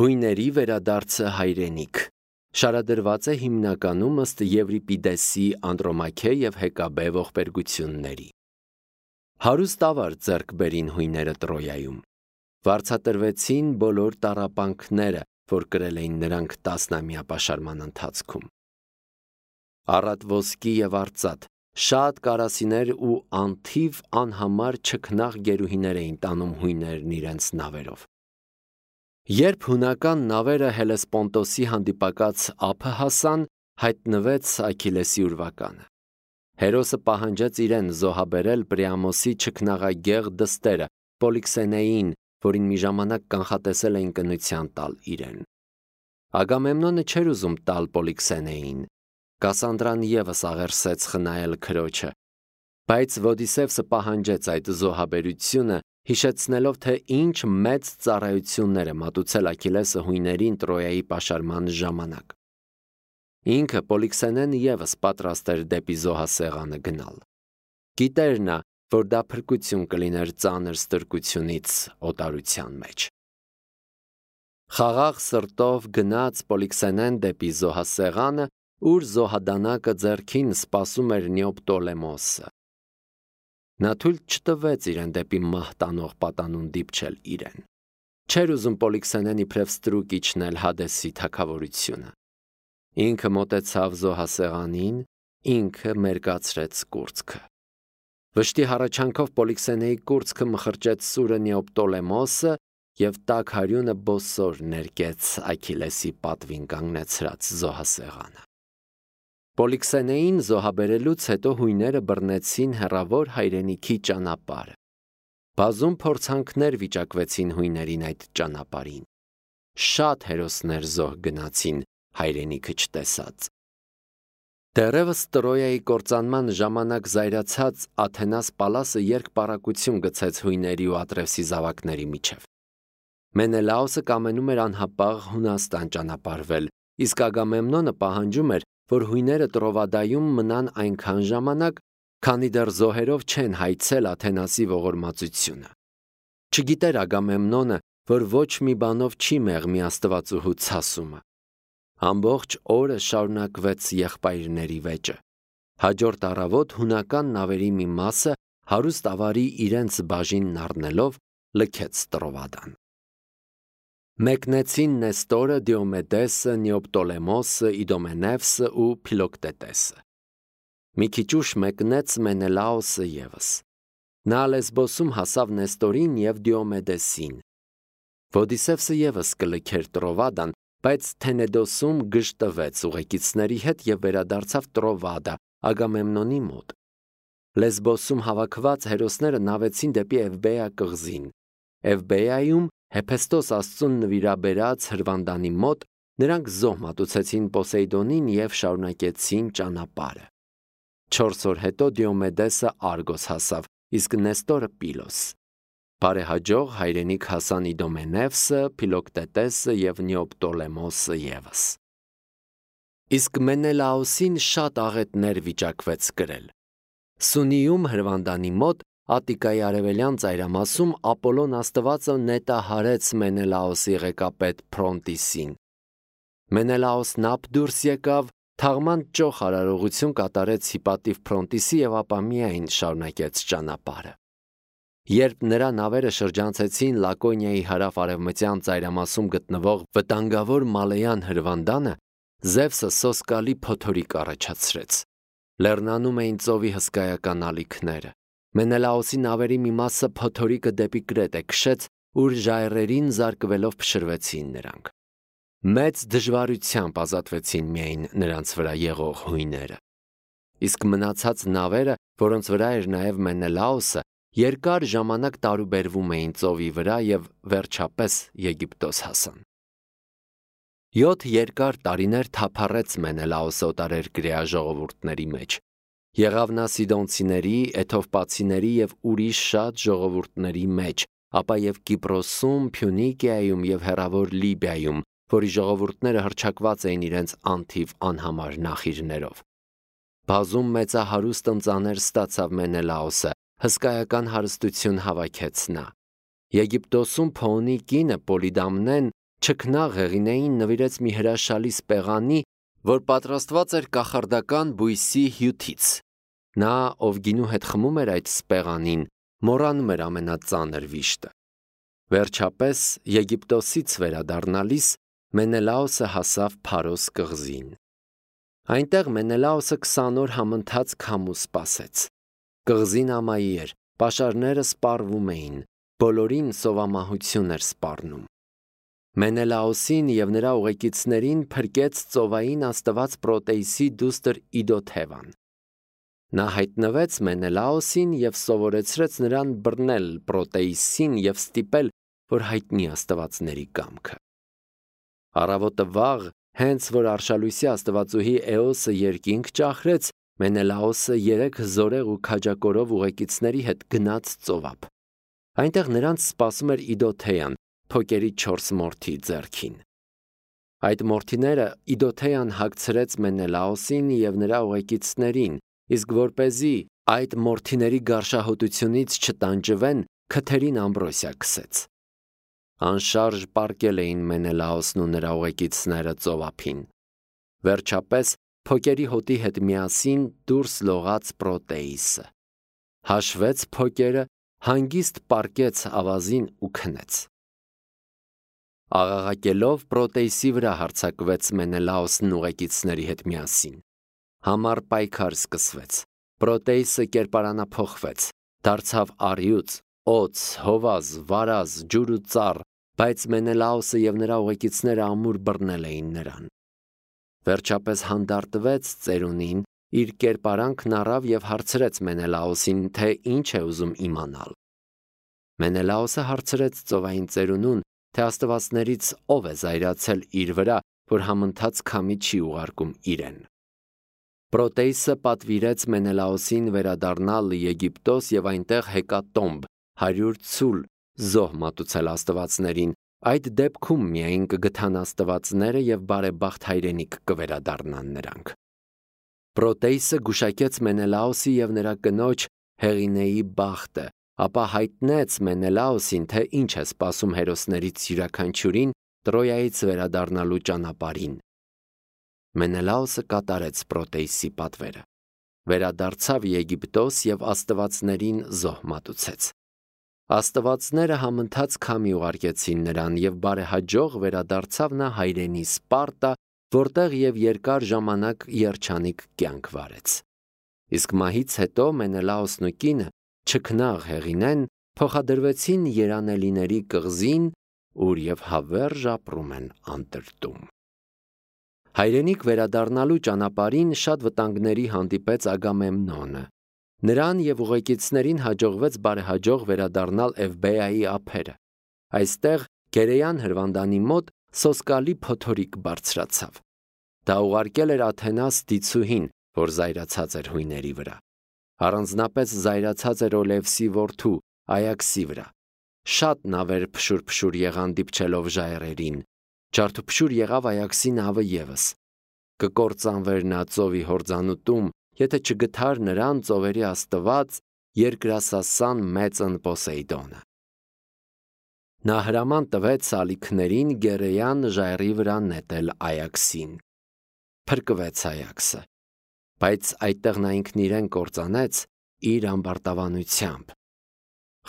Հույների վերադարձը հայրենիք շարադրված է հիմնականում ըստ Եվրիպիդեսի Անդրոմաքե և Հեկաբե ողբերգությունների։ Հարուստ ավար ձեռք բերին հույները Տրոյայում։ Վարձատրվեցին բոլոր տառապանքները, որ կրել էին նրանք տասնամյա պաշարման ընթացքում։ Առատ ոսկի և արծաթ, շատ կարասիներ ու անթիվ անհամար չքնաղ գերուհիներ էին տանում հույներն իրենց նավերով։ Երբ հունական նավերը Հելեսպոնտոսի հանդիպակաց ափը հասան, հայտնվեց Աքիլեսի ուրվականը։ Հերոսը պահանջեց իրեն զոհաբերել Պրիամոսի չքնաղագեղ դստերը Պոլիքսենեին, որին մի ժամանակ կանխատեսել էին կնության տալ իրեն։ Ագամեմնոնը չէր ուզում տալ Պոլիքսենեին։ Կասանդրան ևս աղերսեց խնայել քրոջը, բայց Ոդիսևսը պահանջեց այդ զոհաբերությունը, հիշեցնելով, թե ինչ մեծ ծառայություններ է մատուցել Աքիլեսը հույներին Տրոյայի պաշարման ժամանակ։ Ինքը Պոլիքսենեն ևս պատրաստ էր դեպի զոհասեղանը գնալ։ Գիտեր նա, որ դա փրկություն կլիներ ծանր ստրկությունից օտարության մեջ։ Խաղաղ սրտով գնաց Պոլիքսենեն դեպի զոհասեղանը, ուր զոհադանակը ձեռքին սպասում էր Նեոպտոլեմոսը։ Նա թույլ չտվեց իրեն դեպի մահ տանող պատանուն դիպչել իրեն։ Չէր ուզում Պոլիքսենեն իբրև ստրուկ իջնել Հադեսի թագավորությունը։ Ինքը մոտեցավ զոհասեղանին, ինքը մերկացրեց կուրծքը։ Վշտի հառաչանքով Պոլիքսենեի կուրծքը մխրճեց սուրը Նեոպտոլեմոսը և տաք հարյունը բոսոր ներկեց Աքիլեսի պատվին կանգնեցրած զոհասեղանը։ Պոլիքսենեին զոհաբերելուց հետո հույները բռնեցին հեռավոր հայրենիքի ճանապարհը։ Բազում փորձանքներ վիճակվեցին հույներին այդ ճանապարհին։ Շատ հերոսներ զոհ գնացին հայրենիքը չտեսած։ Դեռևս Տրոյայի կործանման ժամանակ զայրացած Աթենաս Պալասը երկպառակություն գցեց հույների ու Ատրևսի զավակների միջև։ Մենելաոսը կամենում էր անհապաղ Հունաստան ճանապարհվել, իսկ Ագամեմնոնը պահանջում էր, որ հույները Տրովադայում մնան այնքան ժամանակ, քանի դեռ զոհերով չեն հայցել Աթենասի ողորմածությունը։ Չգիտեր Ագամեմնոնը, որ ոչ մի բանով չի մեղմի աստվածուհու ցասումը։ Ամբողջ օրը շարունակվեց եղբայրների վեճը։ Հաջորդ առավոտ հունական նավերի մի մասը հարուստ ավարի իրենց բաժինն առնելով լքեց Տրովադան։ Մեկնեցին Նեստորը, Դիոմեդեսը, Նեոպտոլեմոսը, Իդոմենևսը ու Փիլոկտետեսը։ Մի քիչ ուշ մեկնեց Մենելաոսը ևս։ Նա Լեսբոսում հասավ Նեստորին և Դիոմեդեսին։ Ոդիսևսը ևս կլքեր Տրովադան, բայց Թենեդոսում գժտվեց ուղեկիցների հետ և վերադարձավ Տրովադա, Ագամեմնոնի մոտ։ Լեսբոսում հավաքված հերոսները նավեցին դեպի Էվբեա կղզին։ Էվբեայում Հեփեստոս աստծուն նվիրաբերած հրվանդանի մոտ նրանք զոհ մատուցեցին Պոսեյդոնին և շարունակեցին ճանապարհը։ 4 օր հետո Դիոմեդեսը Արգոս հասավ, իսկ Նեստորը Պիլոս։ Բարեհաջող հայրենիք հասան Իդոմենևսը, Փիլոկտետեսը և Նեոպտոլեմոսը ևս։ Իսկ Մենելաոսին շատ աղետներ վիճակվեց կրել։ Սունիում հրվանդանի մոտ Ատիկայի արևելյան ծայրամասում Ապոլոն աստվածը նետահարեց Մենելաոսի ղեկապետ Փրոնտիսին։ Մենելաոսն ափ դուրս եկավ, թաղման ճոխ արարողություն կատարեց Հիպատիվ Փրոնտիսի և ապա միայն շարունակեց ճանապարհը։ Երբ նրա նավերը շրջանցեցին Լակոնիայի հարավ-արևմտյան ծայրամասում գտնվող վտանգավոր Մալեյան հրվանդանը, Զևսը սոսկալի փոթորիկ առաջացրեց։ Լեռնանում էին ծովի հսկայական ալիքները։ Մենելաոսի նավերի մի մասը փոթորիկը դեպի Կրետե քշեց, ուր ժայռերին զարկվելով փշրվեցին նրանք։ Մեծ դժվարությամբ ազատվեցին միայն նրանց վրա եղող հույները։ Իսկ մնացած նավերը, որոնց վրա էր նաև Մենելաոսը, երկար ժամանակ տարուբերվում էին ծովի վրա և վերջապես Եգիպտոս հասան։ 7 երկար տարիներ թափառեց Մենելաոսը օտարերկրյա ժողովուրդների մեջ։ Եղավ նա Սիդոնցիների, Էթովպացիների և ուրիշ շատ ժողովուրդների մեջ, ապա և Կիպրոսում, Փյունիկիայում և հեռավոր Լիբիայում, որի ժողովուրդները հռչակված էին իրենց անթիվ անհամար նախիրներով։ Բազում մեծահարուստ ընծաներ ստացավ Մենելաոսը, հսկայական հարստություն հավաքեց նա։ Եգիպտոսում Փոոնի կինը Պոլիդամնեն չքնաղ հեղինեին նվիրեց մի հրաշալի սպեղանի, որ պատրաստված էր կախարդական բույսի հյութից։ Նա, ով գինու հետ խմում էր այդ սպեղանին, մոռանում էր ամենածանր վիշտը։ Վերջապես, Եգիպտոսից վերադառնալիս, Մենելաոսը հասավ Փարոս կղզին։ Այնտեղ Մենելաոսը 20 օր համընթաց քամու սպասեց։ Կղզին ամայի էր, պաշարները սպառվում էին, բոլորին սովամահություն էր սպառնում։ Մենելաոսին և նրա ուղեկիցներին փրկեց ծովային աստված Պրոտեիսի դուստր Իդոթևան։ Նա հայտնվեց Մենելաոսին և սովորեցրեց նրան բռնել Պրոտեիսին և ստիպել, որ հայտնի աստվածների կամքը։ Առավոտը վաղ, հենց որ արշալույսի աստվածուհի Էոսը երկինք ճախրեց, Մենելաոսը 3 զորեղ ու քաջակորով ուղեկիցների հետ գնաց ծովափ։ Այնտեղ նրանց սպասում էր Իդոթեան, Փոկերի 4 մորթի ձեռքին։ Այդ մորթիները Իդոթեան հագցրեց Մենելաոսին և նրա ուղեկիցներին, իսկ որպեսզի այդ մորթիների գարշահոտությունից չտանջվեն, քթերին ամբրոսիա քսեց։ Անշարժ պառկել էին Մենելաոսն ու նրա ուղեկիցները ծովափին։ Վերջապես Փոկերի հոտի հետ միասին դուրս լողաց Պրոտեիսը։ Հաշվեց Փոկերը, հանգիստ պառկեց ավազին ու քնեց։ Աղաղակելով Պրոտեիսի վրա հարձակվեց Մենելաոսն ուղեկիցների հետ միասին։ Համառ պայքար սկսվեց։ Պրոտեիսը կերպարանափոխվեց, դարձավ առյուծ, օձ, հովազ, վարազ, ջուր ու ծառ, բայց Մենելաոսը և նրա ուղեկիցները ամուր բռնել էին նրան։ Վերջապես հանդարտվեց ծերունին, իր կերպարանքն առավ և հարցրեց Մենելաոսին, թե ինչ է ուզում իմանալ։ Մենելաոսը հարցրեց ծովային ծերունուն, թե աստվածներից ով է զայրացել իր վրա, որ համընթաց քամի չի ուղարկում իրեն։ Պրոտեիսը պատվիրեց Մենելաոսին վերադառնալ Եգիպտոս և այնտեղ հեկատոմբ 100 ցուլ զոհ մատուցել աստվածներին, այդ դեպքում միայն կգթան աստվածները և բարեբախտ հայրենիք կվերադառնան նրանք։ Պրոտեիսը գուշակեց Մենելաոսի և նրա կնոջ Հեղինեի բախտը, ապա հայտնեց Մենելաոսին, թե ինչ է սպասում հերոսներից յուրաքանչյուրին Տրոյայից վերադառնալու ճանապարհին։ Մենելաոսը կատարեց Պրոտեիսի պատվերը։ Վերադարձավ Եգիպտոս և աստվածներին զոհ մատուցեց։ Աստվածները համընթաց քամի ուղարկեցին նրան և բարեհաջող վերադարձավ նա հայրենի Սպարտա, որտեղ և երկար ժամանակ երջանիկ կյանք վարեց։ Իսկ մահից հետո Մենելաոսն ու կինը, չքնաղ հեղինեն, փոխադրվեցին Երանելիների կղզին, ուր և հավերժ ապրում են անտրտում։ Հայրենիք վերադառնալու ճանապարհին շատ վտանգների հանդիպեց Ագամեմնոնը։ Նրան և ուղեկիցներին հաջողվեց բարեհաջող վերադառնալ Էվբեայի ափերը։ Այստեղ Գերեյան հրվանդանի մոտ սոսկալի փոթորիկ բարձրացավ։ Դա ուղարկել էր Աթենաս դիցուհին, որ զայրացած էր հույների վրա։ Առանձնապես զայրացած էր Օլևսի որդու Այաքսի վրա։ Շատ նավեր փշուր եղան դիպչելով ժայռերին։ Ջարդուփշուր եղավ Այաքսի նավը ևս։ Կկործանվեր նա ծովի հորձանուտում, եթե չգթար նրան ծովերի աստված երկրասասան մեծն Պոսեյդոնը։ Նա հրաման տվեց սալիքներին Գերեյան ժայռի վրա նետել Այաքսին։ Փրկվեց Այաքսը, բայց այդտեղ նա ինքն իրեն կործանեց իր ամբարտավանությամբ։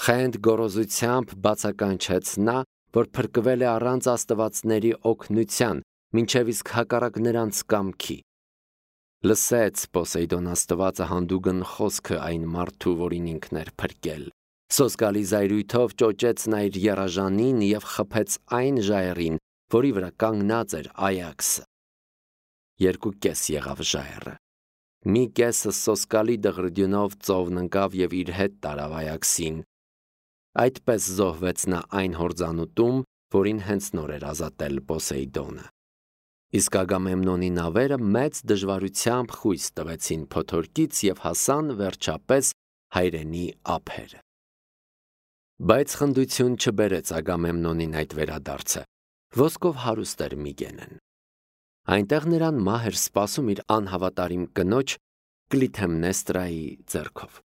Խենթ գոռոզությամբ բացականչեց նա, որ փրկվել է առանց աստվածների օգնության, մինչև իսկ հակառակ նրանց կամքի։ Լսեց Պոսեյդոն աստվածը հանդուգն խոսքը այն մարդու, որին ինքն էր փրկել։ Սոսկալի զայրույթով ճոճեց նա իր եռաժանին և խփեց այն ժայռին, որի վրա կանգնած էր Այաքսը։ 2 եղավ ժայռը։ Մի կեսը սոսկալի դղրդյունով ծովն ընկավ և իր հետ տարավ Այաքսին։ Այդպես զոհվեց նա այն հորձանուտում, որին հենց նոր էր ազատել Պոսեյդոնը։ Իսկ Ագամեմնոնի նավերը մեծ դժվարությամբ խույս տվեցին փոթորկից և հասան վերջապես հայրենի ափերը։ Բայց խնդություն չբերեց Ագամեմնոնին այդ վերադարձը։ Ոսկով հարուստ էր Միգենեն։ Այնտեղ նրան մահ էր սպասում իր անհավատարիմ կնոջ Կլիթեմնեստրայի ձեռքով։